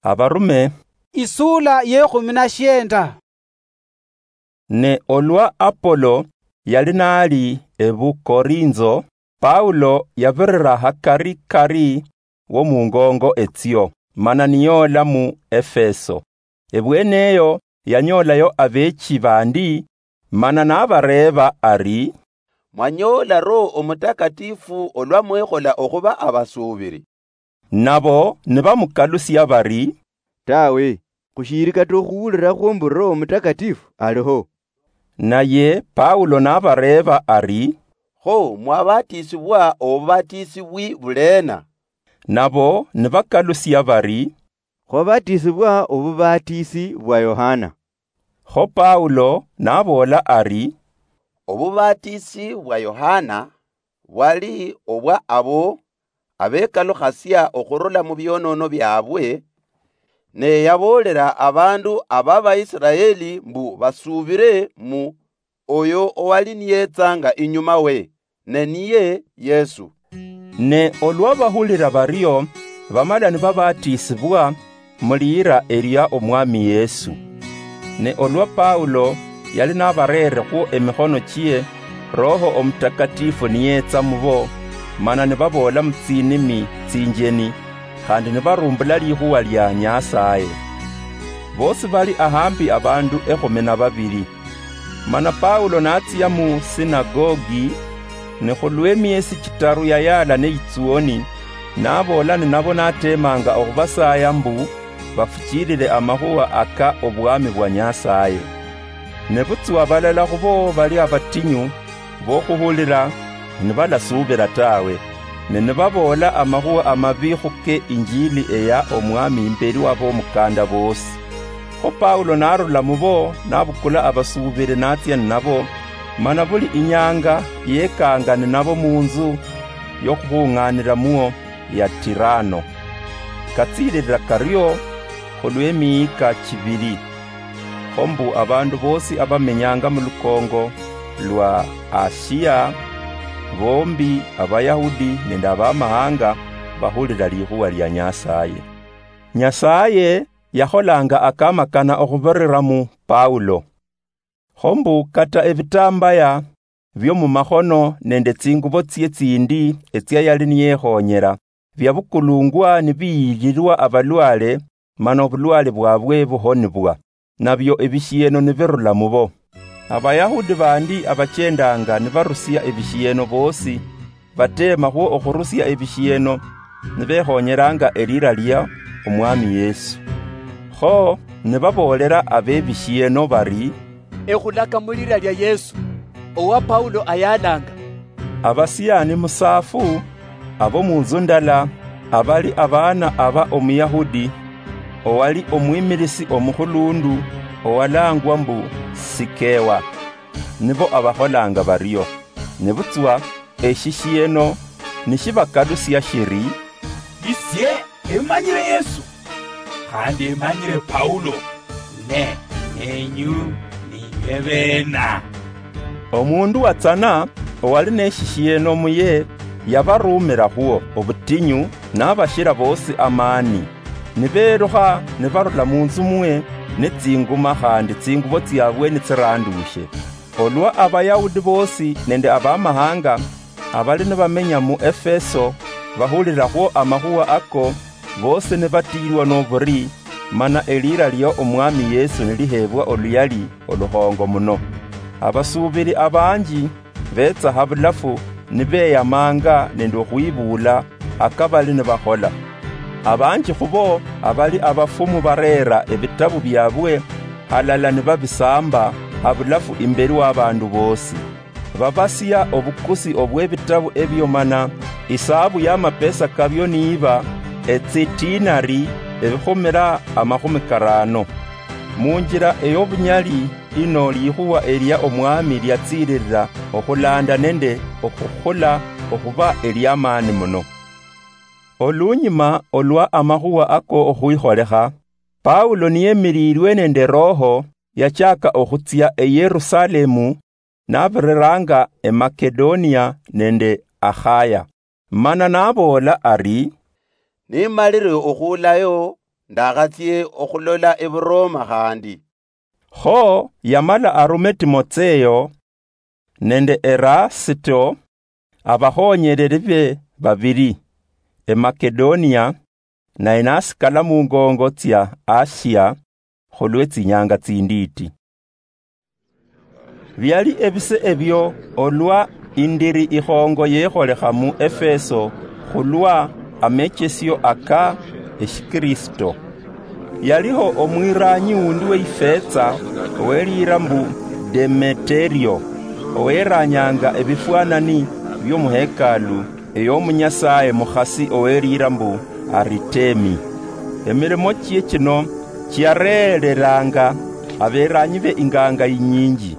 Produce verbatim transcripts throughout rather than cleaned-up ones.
Abarume. Isula yekhumi na shienda. Ne olwa Apolo yali nali ebu Korinzo, Paulo yabirira hakari kari wo mungongo etsio, mana niyoola mu Efeso. Ebweneyo yanyoolayo abeechi bandi, mana nabareeba ari, "Mwanyoola Roho Omutakatifu olwa mwekhola okhuba abasuubiri?" Nabo nibamukalusia bari, "Tawe, khushiiri kata okhuwulirakho mbu Roho Omutakatifu aliho." Naye Paulo nabareeba ari, "Kho mwabatiisibwa obubatisibwi buleena?" Nabo nibakalusia bari, "Khwabatiisibwa obubaatisi bwa Yohana." Kho Paulo naboola ari, "Obubaatisi bwa Yohana bwali obwa abo abekalukhasia okhurula mu bionono biabwe, ne yaboolera abandu aba Baisiraeli mbu basuubire mu oyo owali niyetsanga inyuma we, ne niye Yesu." Ne olwa bahulira bario, bamala nibabatiisibwa mu liira eria Omwami Yesu. Ne olwa Paulo yali nabareerekhwo emikhono chie, Roho Omutakatifu niyetsa mubo, mana nibaboola mu tsinimi tsinjeni, khandi nibarumbula likhuwa lia Nyasaye. Bosi bali ahambi abandu ekhumi na babiri. Mana Paulo natsia mu sinagogi, ne khulw'emiesi chitaru yayaala neyitsuoni, naboola ninabo natemanga okhubasaya mbu bafuchilile amakhuwa aka obwami bwa Nyasaye. Nebutswa balala khubo bali abatinyu bokhuhulila, nibalasuubila tawe, ne nibaboola amakhuwa amabi khuke injili eya Omwami imbeli wabomukanda bosi. Kho Paulo narula mubo, nabukula abasuubili natsia ninabo, mana buli inyanga yekanga ninabo munzu yokhubung'anilamwo ya Tirano. Katsililila kario khulw'emiika chibili. Kho mbu abandu bosi abamenyanga mu lukongo lwa Asia, bombi Abayahudi nende Abamahanga, bahulila likhuwa lia Nyasaye. Nyasaye yakholanga akamakana okhubirira mu Paulo. Kho mbu kata ebitambaya bio mumakhono nende tsingubo tsie tsindi etsia yali niyekhonyera, biabukulungwa nibiyililwa abalwale, mana obulwale bwabwe buhonibwa, nabio ebishieno nibirula mubo. Abayahudi bandi abachendanga nibarusia ebishieno bosi, batemakhwo okhurusia ebishieno, nibekhonyeranga elira lia Omwami Yesu. Kho nibaboolera abebishieno bari, "Ekhulaka mulira lia Yesu, owa Paulo ayalanga." Abasiani musaafu abo munzu ndala, abali abaana aba Omuyahudi, owali omwimilisi omukhulundu, owalangwa mbu Sikewa, nibo abakholanga bario. Nebutswa eshishieno nishibakalusia shiri, "Isie emanyire Yesu, khandi emanyire Paulo, ne nenyu ninywe bena?" Omundu watsana owali neshishieno muye yabarumirakhwo obutinyu, nabashira bosi amani. Niberukha nibarula munzu mwe netsinguma khandi tsingubo tsiabwe nitsirandushe. Olwa Abayahudi bosi nende Abamahanga abali nibamenya mu Efeso bahulirakhwo amakhuwa ako, bosi nibatiilwa noburi, mana elira lia Omwami Yesu nilihebwa oluyali olukhongo muno. Abasuubili abanji betsa habulafu nibeyamanga nende okhwibuula aka bali nibakhola. Abanji khubo abali abafumu bareera ebitabu biabwe halala nibabisamba habulafu imbeli w'abandu bosi. Babasia obukusi obw'ebitabu ebio mana isaabu y'amapesa kabio niiba etsitinari ebikhumira amakhumi karaano. Munjira ey'obunyali ino likhuwa elia Omwami liatsiililila okhulanda nende okhukhula okhuba eliamaani muno. Olunyuma olwa amakhuwa ako okhwikholekha, Paulo niyemililwe nende Roho, yachaka okhutsia eYerusalemu, nabiriranga eMakedonia nende Akhaya. Mana naboola ari, "Nimalire okhuulayo, ndakhatsie okhulola ebuRoma khandi. Kho yamala arume Timotseo nende Erasito, abakhonyereri be babili, eMakedonia, naye nasikala mungongo tsia Asia khulwe tsinyanga tsindiiti. Biali ebise ebio olwa indiri ikhongo yekholekha mu Efeso khulwa amechesio aka eshiKristo. Yaliho omwiranyi wundi weifetsa oweliira mbu Demeterio, oweranyanga ebifwanani biomuhekalu eyomunyasaye mukhasi oweliira mbu Aritemi. Emirimo chie chino chiareereranga aberanyi be inganga inyinji.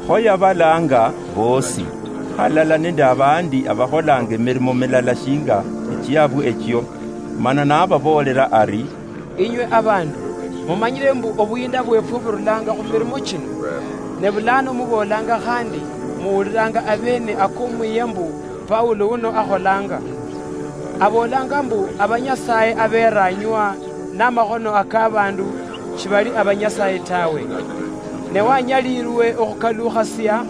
Kho yabalanga bosi, halala nende abandi abakholanga emirimo milala shinga echiabwe echio, mana nababoolera ari, "Inywe abandu, mumanyire mbu obuyinda bwefwe burulanga khumirimo chino. Ne bulano muboolanga khandi muwuliranga abene akomwiya mbu Paulo uno akholanga. Aboolanga mbu abanyasaye aberanywa namakhono akabandu shibali abanyasaye tawe. Ne wanyalirwe okhukalukhasia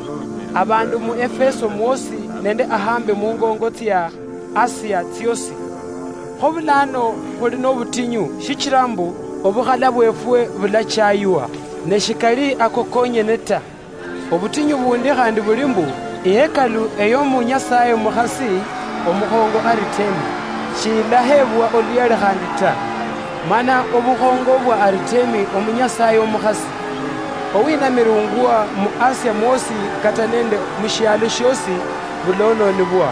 abandu mu Efeso mwosi nende ahambi mungongo tsia Asia tsiosi. Kho bulano khuli nobutinyu, shichira mbu obukhala bwefwe bulachaywa, ne shikali ako konyene ta. Obutinyu bundi khandi buli mbu, ihekalu eyomunyasaye omukhasi omukhongo Aritemi, shilahebwa oluyali khandi ta. Mana obukhongo bwa Aritemi omunyasaye omukhasi, owinamirungwa mu Asia mwosi kata nende mushialo shiosi, bulononibwa."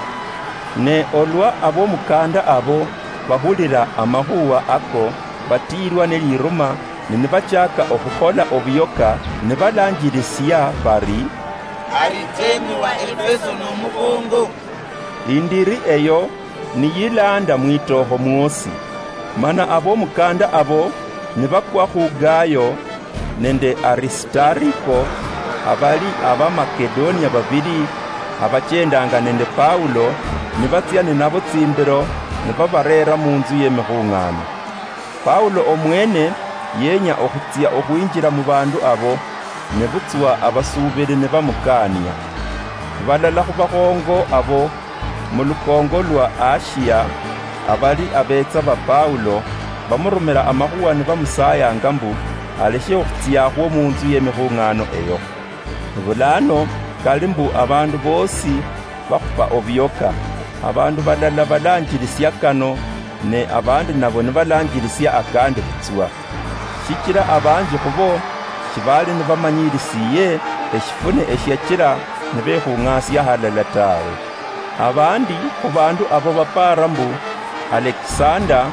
Ne olwa abomukanda abo bahulira amakhuwa ako, batiirwa neliruma, ne nibachaka okhukhola obuyoka, nibalanjirisia bari, "Aritemi wa Efeso nomukhongo." Indiri eyo niyilanda mwitoho mwosi. Mana abomukanda abo nibakwa khu Gayo nende Aristariko, abali Abamakedonia babili abachendanga nende Paulo, nibatsia ninabo tsimbiro, nibabareera munzu yemikhung'ano. Paulo omwene yenya okhutsia okhwinjira mubandu abo, nebutswa abasuubiri nibamukania. Balala khubakhongo abo mulukongo lwa Asia, abali abetsa ba Paulo, bamurumira amakhuwa nibamusayanga mbu aleshe okhutsiakhwo munzu yemikhung'ano eyo. Bulano kali mbu abandu bosi bakhupa obuyoka, abandu balala balanjirisia kano, ne abandi nabo nibalanjirisia akandi butswa. Shichira abanji khubo shibali nibamanyirisiye eshifune eshiachira nibekhung'asia halala tawe. Abandi khubandu abo bapara mbu Alexander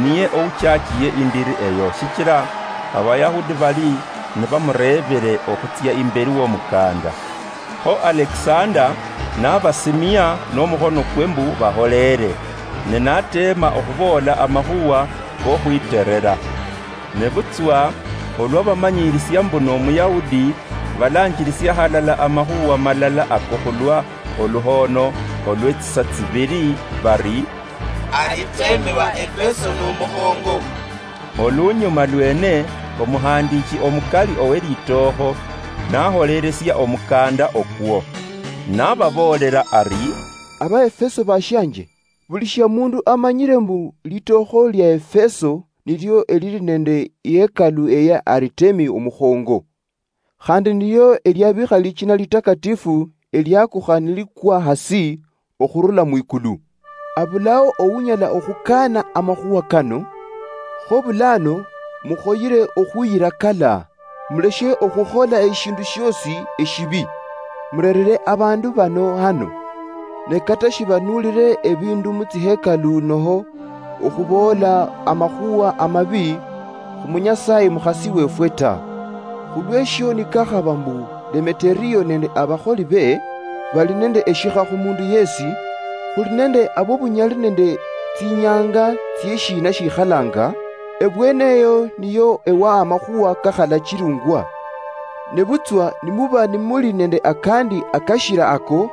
niye ouchachiye indiri eyo, shichira Abayahudi bali nibamurebere okhutsia imberi womukanda. Kho Alexander nabasimia nomukhonokwe mbu baholeere, ne nateema okhuboola amakhuwa kokhwiterera. Nebutswa olwa bamanyirisia mbu noMuyahudi, balanjirisia halala amakhuwa malala ako khulwa oluhoono olwetsisa tsibiri, bari, "Aritemi wa Efeso nomukhongo." Olunyuma lwene, omuhandichi omukali owelitookho naholeresia omukanda okwo, nababoolera ari, "Abaefeso bashianje, buli shia mundu amanyire mbu litookho lia Efeso nilio elili nende ihekalu eya Aritemi omukhongo. Khandi nilio eliabikha lichina litakatifu eliakukha nilikwa hasi okhurula mwikulu. Abulao ounyala okhukaana amakhuwa kano. Kho bulano mukhoyire okhuyira kala, muleshe okhukhola eshindu shiosi eshibi, murerere abandu bano hano. Ne kata shibanuulire ebindu mutsihekalu noho okhuboola amakhuwa amabi khumunyasaye mukhasi wefwe ta. Khulweshio nikakhaba mbu Demeterio nende abakholi be bali nende eshikha khumundu yesi, khuli nende abobunyali nende tsinyanga tsieshina shikhalanga, ebweneyo niyo ewa amakhuwa kakhalachilungwa. Nebutswa nimuba nimuli nende akandi akashira ako,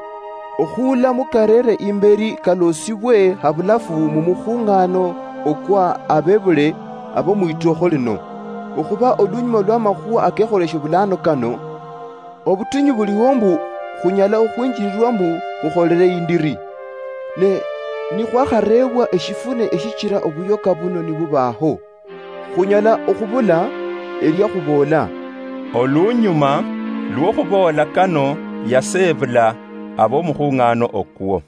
okhuula mukarere imberi kalosibwe habulafu mumukhung'ano okwa abebule ab'omwitookho lino, okhuba olunyuma lw'amakhuwa akekholeshe bulaano kano, obutinyu buliho mbu khunyala okhwinjirirwa mbu khukholere indiri. Ne nikhwakhareebwa eshifune eshichira obuyoka buno nibubaho, khunyala okhubula elia khuboola. Olunyuma lw'okhuboola kano, yaseebula ab'omukhung'ano okwo.